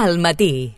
al matí.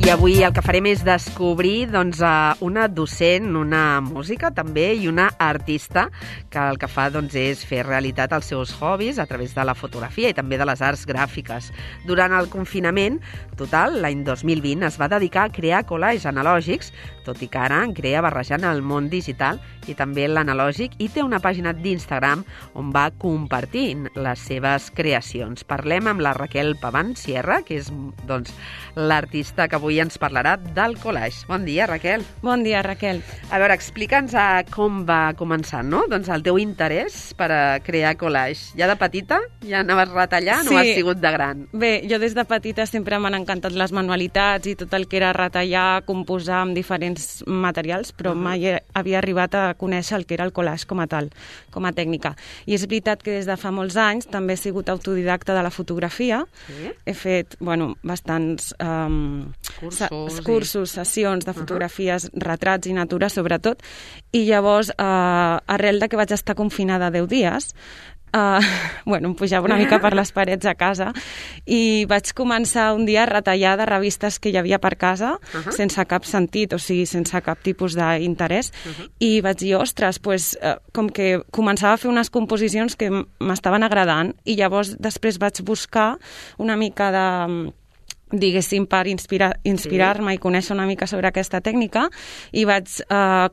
I avui el que farem és descobrir una docent, una música també i una artista que el que fa és fer realitat els seus hobbies a través de la fotografia i també de les arts gràfiques. Durant el confinament total, l'any 2020, es va dedicar a crear collages analògics, tot i que ara en crea barrejant el món digital i també l'analògic, i té una pàgina d'Instagram on va compartint les seves creacions. Parlem amb la Raquel Paván Sierra, que és l'artista que avui ens parlarà del collage. Bon dia, Raquel. Bon dia, Raquel. A veure, explica'ns com va començar, no? El teu interès per a crear collage. Ja de petita ja anaves retallant o has sigut de gran? Bé, jo des de petita sempre m'han encantat les manualitats i tot el que era retallar, composar amb diferents materials, però mai havia arribat a conèixer el que era el collage com a tal, com a tècnica. I és veritat que des de fa molts anys també he sigut autodidacta de la fotografia. Sí? He fet, bastants cursos, sessions de fotografies, retrats i natura, sobretot, i llavors, arrel de que vaig estar confinada 10 dies, em pujava una mica per les parets a casa i vaig començar un dia a retallar de revistes que hi havia per casa sense cap sentit, o sigui, sense cap tipus d'interès, i vaig dir, ostres, com que començava a fer unes composicions que m'estaven agradant, i llavors després vaig buscar una mica diguéssim, per inspirar-me i conèixer una mica sobre aquesta tècnica, i vaig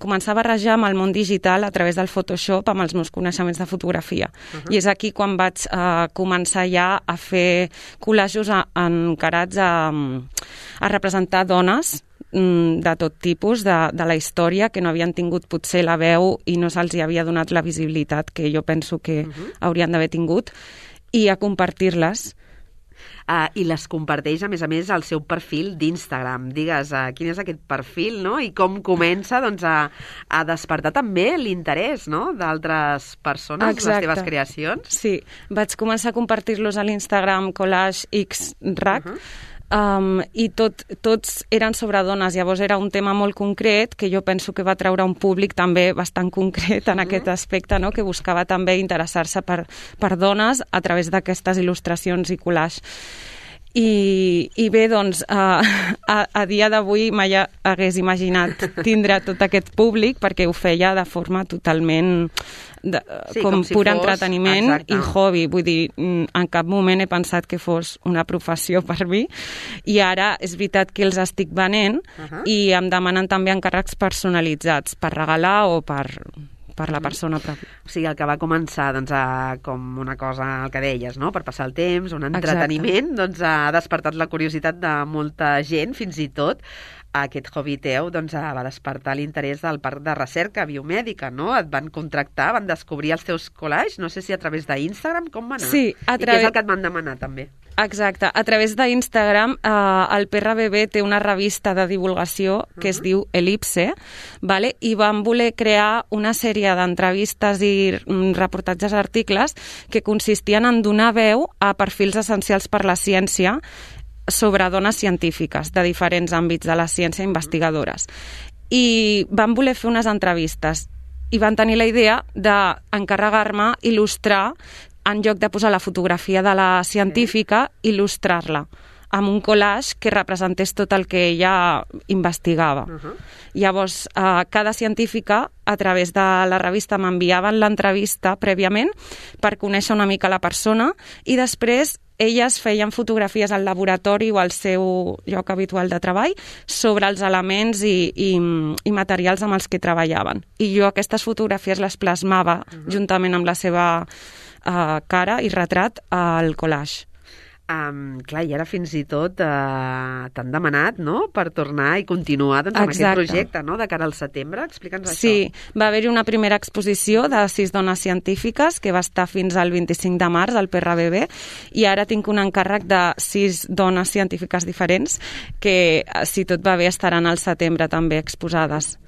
començar a barrejar amb el món digital a través del Photoshop amb els meus coneixements de fotografia. I és aquí quan vaig començar ja a fer collages encarats a representar dones de tot tipus de la història, que no havien tingut potser la veu i no se'ls havia donat la visibilitat que jo penso que haurien d'haver tingut, i a compartir-les. I les comparteix, a més, al seu perfil d'Instagram. Digues, quin és aquest perfil, no? I com comença a despertar també l'interès, no?, d'altres persones, les teves creacions. Sí, vaig començar a compartir-los a l'Instagram Collage X RAC, i tots eren sobre dones. Llavors era un tema molt concret que jo penso que va treure un públic també bastant concret en aquest aspecte, no?, que buscava també interessar-se per dones a través d'aquestes il·lustracions i collage. I bé, a dia d'avui mai hagués imaginat tindre tot aquest públic, perquè ho feia de forma totalment com pur entreteniment i hobby. Vull dir, en cap moment he pensat que fos una professió per mi, i ara és veritat que els estic venent i em demanen també encàrrecs personalitzats per regalar o per la persona pròpia. O sigui, el que va començar com una cosa, el que deies, no?, per passar el temps, un entreteniment, ha despertat la curiositat de molta gent, fins i tot aquest hobby teu va despertar l'interès del Parc de Recerca Biomèdica, no? Et van contractar, van descobrir els teus collages, no sé si a través d'Instagram, com va anar? Sí, I què és el que et van demanar, també? Exacte, a través d'Instagram el PRBB té una revista de divulgació que es diu Elipse, i van voler crear una sèrie d'entrevistes i reportatges, articles que consistien en donar veu a perfils essencials per la ciència sobre dones científiques de diferents àmbits de la ciència, investigadores. I van voler fer unes entrevistes i van tenir la idea d'encarregar-me il·lustrar, en lloc de posar la fotografia de la científica, il·lustrar-la amb un collage que representés tot el que ella investigava. Llavors, cada científica, a través de la revista, m'enviaven l'entrevista prèviament per conèixer una mica la persona, i després elles feien fotografies al laboratori o al seu lloc habitual de treball sobre els elements i materials amb els que treballaven. I jo aquestes fotografies les plasmava juntament amb la seva cara i retrat al collage. Clar, i ara fins i tot t'han demanat, no?, per tornar i continuar amb aquest projecte, no?, de cara al setembre. Explica'ns això. Sí, va haver-hi una primera exposició de 6 dones científiques que va estar fins al 25 de març al PRBB, i ara tinc un encàrrec de 6 dones científiques diferents que, si tot va bé, estaran al setembre també exposades.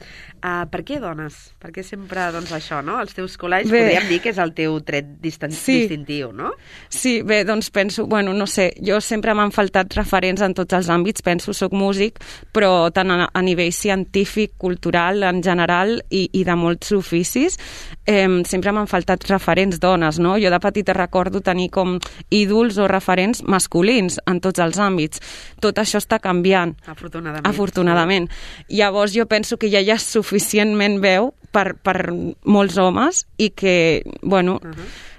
Per què dones? Per què sempre això, no? Els teus collages podríem dir que és el teu tret distintiu, no? Sí, bé, doncs penso, no sé, jo sempre m'han faltat referents en tots els àmbits, penso, soc músic, però tant a nivell científic, cultural, en general, i de molts oficis, sempre m'han faltat referents dones, no? Jo de petita recordo tenir com ídols o referents masculins en tots els àmbits. Tot això està canviant. Afortunadament. Llavors jo penso que ja hi ha suficientment veu per molts homes i que, bueno,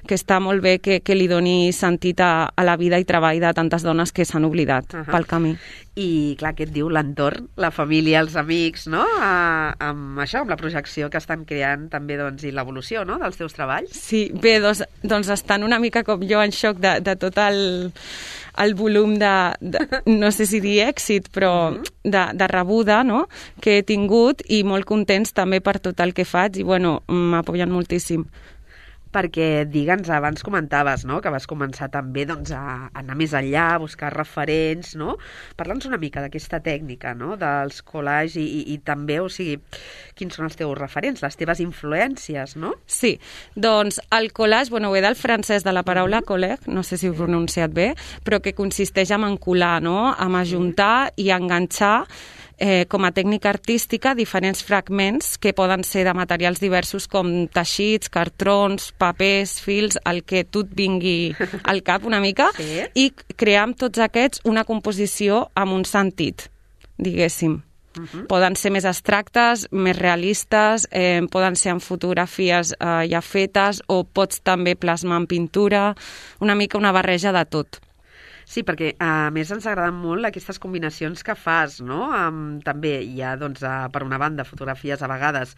que està molt bé que li doni sentit a la vida i treball de tantes dones que s'han oblidat pel camí. I, clar, què et diu l'entorn, la família, els amics, no? Amb això, amb la projecció que estan creant també, doncs, i l'evolució, no?, dels teus treballs. Sí, bé, doncs estan una mica com jo en xoc de tot el volum no sé si dir èxit, però de rebuda, no?, que he tingut, i molt contents també per tot el que faig, i, bueno, m'apoyen moltíssim. Perquè, digue'ns, abans comentaves, no?, que vas començar també, doncs, a anar més enllà, a buscar referents, no? Parla'ns una mica d'aquesta tècnica, no?, dels collages i també, o sigui, quins són els teus referents, les teves influències, no? Sí, doncs el collage, bueno, ve del francès de la paraula collègue, no sé si ho he pronunciat bé, però que consisteix en encolar, no?, en ajuntar i enganxar com a tècnica artística diferents fragments que poden ser de materials diversos com teixits, cartrons, papers, fils, el que tu et vingui al cap una mica, i crear amb tots aquests una composició amb un sentit, diguéssim. Poden ser més abstractes, més realistes, poden ser en fotografies ja fetes, o pots també plasmar en pintura, una mica una barreja de tot. Sí, perquè a més ens agraden molt aquestes combinacions que fas, no? També hi ha, doncs, per una banda, fotografies a vegades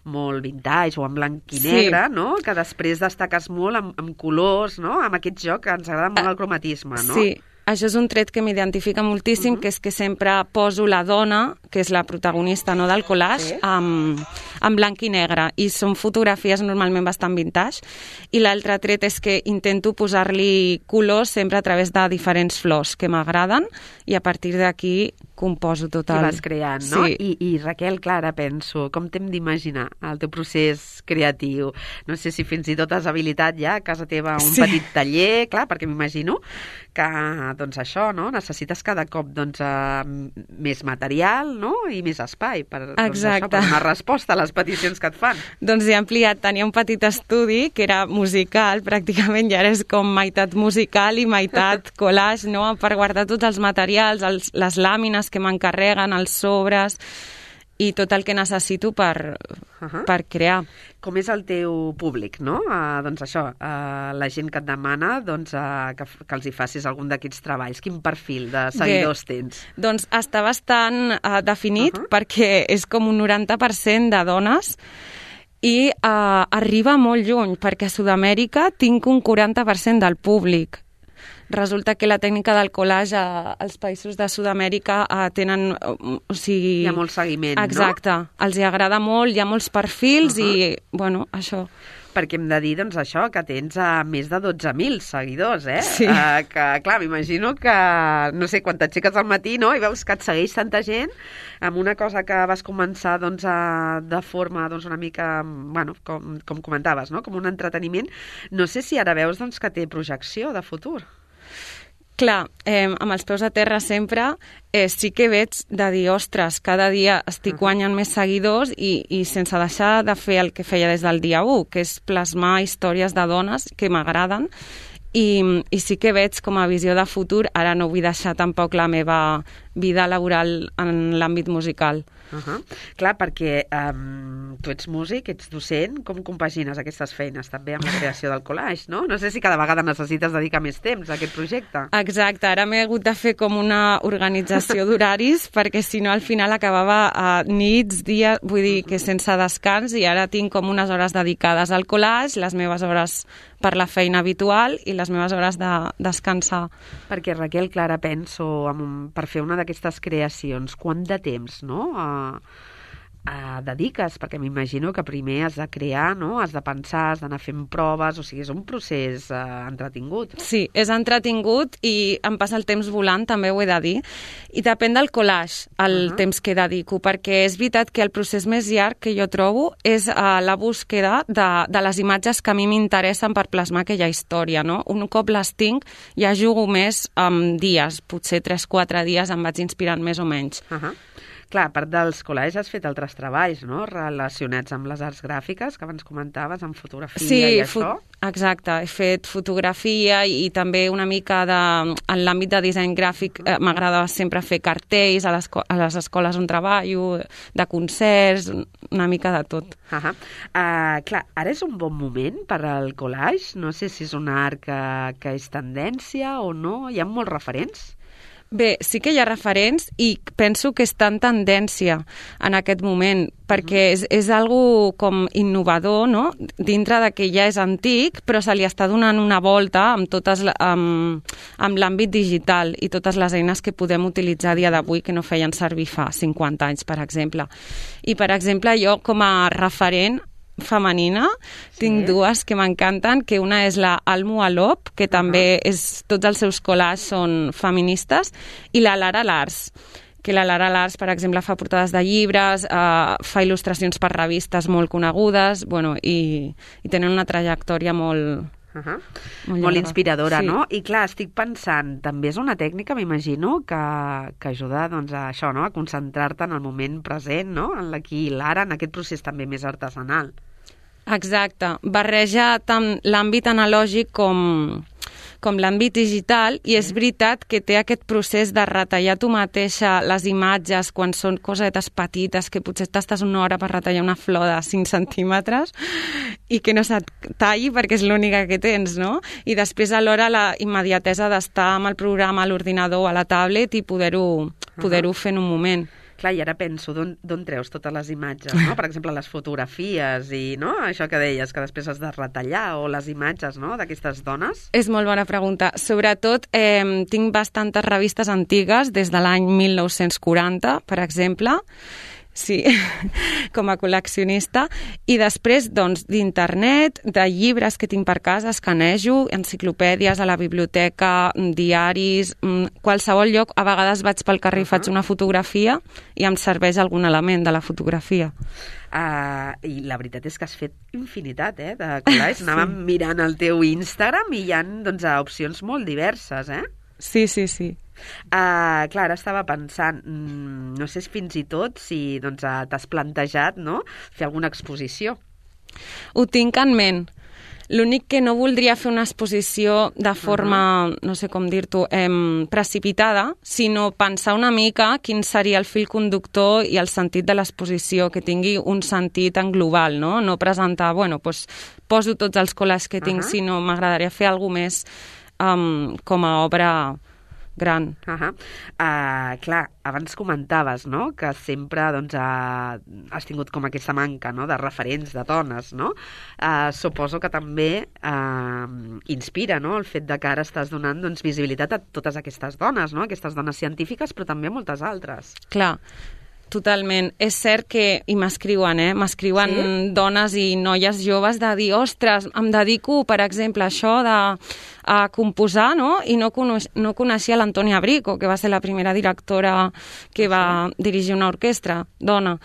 molt vintage o en blanc i negre, no? Que després destaques molt amb colors, no? Amb aquest joc que ens agrada molt el cromatisme, no? Sí. Això és un tret que m'identifica moltíssim, que és que sempre poso la dona, que és la protagonista, no, del collage, en blanc i negre. I són fotografies normalment bastant vintage. I l'altre tret és que intento posar-li colors sempre a través de diferents flors que m'agraden, i a partir d'aquí composo tot el... I vas creant, no? Sí. I Raquel, Clara, penso, com t'hem d'imaginar el teu procés creatiu? No sé si fins i tot has habilitat ja a casa teva un petit taller, clar, perquè m'imagino que, doncs això, no? Necessites cada cop, doncs, més material, no? I més espai per, doncs, això, per donar resposta a les peticions que et fan. Doncs he ampliat, tenia un petit estudi que era musical, pràcticament, i ara és com meitat musical i meitat collage, no? Per guardar tots els materials, les làmines que m'encarreguen, els sobres i tot el que necessito per crear. Com és el teu públic, no? Doncs això, la gent que et demana, doncs, que els hi facis algun d'aquests treballs. Quin perfil de seguidors tens? Doncs està bastant definit, perquè és com un 90% de dones, i arriba molt lluny, perquè a Sud-amèrica tinc un 40% del públic. Resulta que la tècnica del collage als països de Sud-amèrica tenen... O sigui, hi ha molt seguiment, exacte, no? Els hi agrada molt, hi ha molts perfils i, bueno, això... Perquè hem de dir, doncs, això, que tens més de 12.000 seguidors, eh? Sí. Que, clar, m'imagino que, no sé, quan t'aixeques al matí, no?, i veus que et segueix tanta gent amb una cosa que vas començar, doncs, de forma, doncs, una mica, bueno, com comentaves, no?, com un entreteniment. No sé si ara veus, doncs, que té projecció de futur. Clar, amb els peus a terra sempre, sí que veig de dir, ostres, cada dia estic guanyant més seguidors i sense deixar de fer el que feia des del dia 1, que és plasmar històries de dones que m'agraden, i sí que veig com a visió de futur, ara no vull deixar tampoc la meva vida laboral en l'àmbit musical. Clar, perquè tu ets músic, ets docent, com compagines aquestes feines també amb la creació del collage, no? No sé si cada vegada necessites dedicar més temps a aquest projecte. Exacte, ara m'he hagut de fer com una organització d'horaris, perquè si no al final acabava a nits, dies, vull dir que sense descans, i ara tinc com unes hores dedicades al collage, les meves hores per la feina habitual i les meves hores de descansar. Perquè, Raquel, Clara, penso, per fer una d'aquestes creacions, quant de temps, no?, dediques? Perquè m'imagino que primer has de crear, no? Has de pensar, has d'anar fent proves, o sigui, és un procés entretingut. Sí, és entretingut i em passa el temps volant, també ho he de dir. I depèn del collage, el temps que dedico, perquè és veritat que el procés més llarg que jo trobo és la búsqueda de les imatges que a mi m'interessen per plasmar aquella història, no? Un cop les tinc, ja jugo més amb dies, potser 3-4 dies em vaig inspirant més o menys. Clar, a part dels collages has fet altres treballs, no?, relacionats amb les arts gràfiques, que abans comentaves, amb fotografia i això. Exacte. He fet fotografia i també una mica en l'àmbit de disseny gràfic. M'agrada sempre fer cartells a les escoles on treballo, de concerts, una mica de tot. Clar, ara és un bon moment per al collage? No sé si és un art que és tendència o no. Hi ha molts referents? Bé, sí que hi ha referents i penso que està en tendència en aquest moment, perquè és algo com innovador, no?, dintre de que ja és antic, però se li està donant una volta amb l'àmbit digital i totes les eines que podem utilitzar a dia d'avui que no feien servir fa 50 anys, per exemple. I, per exemple, jo com a referent femenina, tinc dues que m'encanten, que una és la Almu Alop, que també tots els seus collages són feministes, i la Lara Lars, que la Lara Lars, per exemple, fa portades de llibres, fa il·lustracions per revistes molt conegudes, i tenen una trajectòria molt inspiradora, no? I clar, estic pensant, també és una tècnica, m'imagino, que ajuda a això, no?, a concentrar-te en el moment present, no?, en l'aquí i l'ara, en aquest procés també més artesanal. Exacte. Barreja tant l'àmbit analògic com l'àmbit digital, i és veritat que té aquest procés de retallar tu mateixa les imatges quan són cosetes petites, que potser t'estàs una hora per retallar una flor de 5 centímetres i que no se't talli perquè és l'única que tens, no? I després alhora la immediatesa d'estar amb el programa a l'ordinador o a la tablet i poder-ho fer en un moment. Clar, i ara penso, d'on treus totes les imatges, no? Per exemple, les fotografies i, no?, això que deies, que després has de retallar, o les imatges, no?, d'aquestes dones? És molt bona pregunta. Sobretot, tinc bastantes revistes antigues, des de l'any 1940, per exemple, sí, com a col·leccionista, i després, doncs, d'internet, de llibres que tinc per casa, escanejo, enciclopèdies a la biblioteca, diaris, qualsevol lloc. A vegades vaig pel carrer i faig una fotografia i em serveix algun element de la fotografia. I la veritat és que has fet infinitat, de collages. Anàvem mirant el teu Instagram i hi ha, opcions molt diverses, Sí. Clar, ara estava pensant, no sé fins i tot si t'has plantejat, no?, fer alguna exposició. Ho tinc en ment. L'únic que no voldria fer una exposició de forma, no sé com dir-t'ho, precipitada, sinó pensar una mica quin seria el fil conductor i el sentit de l'exposició, que tingui un sentit en global, no? No presentar, poso tots els collages que tinc, sinó m'agradaria fer alguna més com a obra gran. Clar, abans comentaves, no?, que sempre has tingut com aquesta manca, no?, de referents de dones, no? Suposo que també inspira, no?, el fet de que ara estàs donant visibilitat a totes aquestes dones, no?, aquestes dones científiques, però també a moltes altres. Clar, totalment. És cert que, i m'escriuen, m'escriuen dones i noies joves de dir, ostres, em dedico, per exemple, a això a composar, no?, i no coneixia l'Antònia Brico, que va ser la primera directora que va dirigir una orquestra, dona.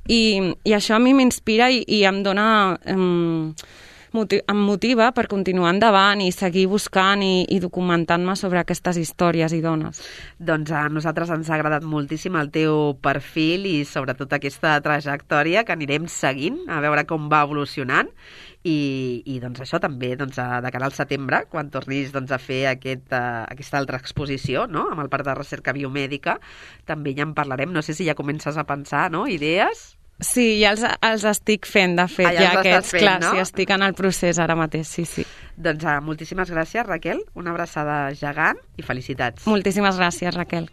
I això a mi m'inspira i em dona... em motiva per continuar endavant i seguir buscant i documentant-me sobre aquestes històries i dones. Doncs a nosaltres ens ha agradat moltíssim el teu perfil i sobretot aquesta trajectòria que anirem seguint, a veure com va evolucionant i doncs això també de cara al setembre, quan tornis a fer aquesta altra exposició, no?, amb el Parc de Recerca Biomèdica, també ja en parlarem. No sé si ja comences a pensar, no?, idees? Sí, ja els estic fent, de fet, ja aquests, clar, sí, estic en el procés ara mateix, sí. Doncs moltíssimes gràcies, Raquel, una abraçada gegant i felicitats. Moltíssimes gràcies, Raquel.